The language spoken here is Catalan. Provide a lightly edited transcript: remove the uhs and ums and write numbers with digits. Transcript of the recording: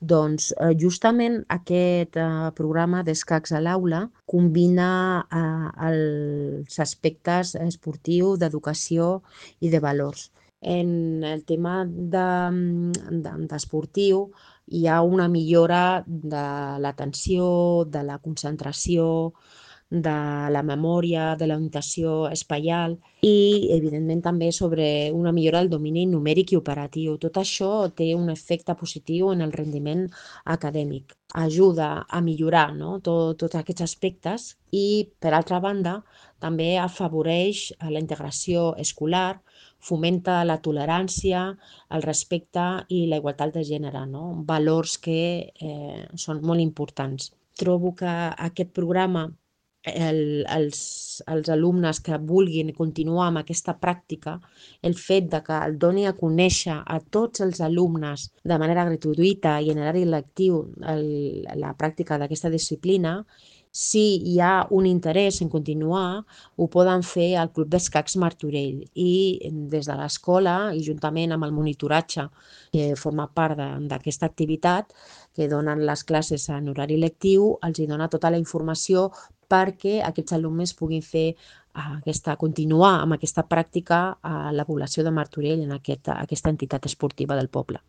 Doncs justament aquest programa d'escacs a l'aula combina els aspectes esportius, d'educació i de valors. En el tema d'esportiu hi ha una millora de l'atenció, de la concentració, de la memòria, de l'orientació espaial i, evidentment, també sobre una millora del domini numèric i operatiu. Tot això té un efecte positiu en el rendiment acadèmic. Ajuda a millorar, no? Tots aquests aspectes i, per altra banda, també afavoreix la integració escolar, fomenta la tolerància, el respecte i la igualtat de gènere, no? Valors que són molt importants. Trobo que aquest programa els alumnes que vulguin continuar amb aquesta pràctica, el fet de que el doni a conèixer a tots els alumnes de manera gratuïta i en horari lectiu la pràctica d'aquesta disciplina, si hi ha un interès en continuar, ho poden fer al Club d'Escacs Martorell i des de l'escola i juntament amb el monitoratge que forma part d'aquesta activitat que donen les classes en horari lectiu, els hi dona tota la informació perquè aquests alumnes puguin fer continuar amb aquesta pràctica a la població de Martorell, en aquesta entitat esportiva del poble.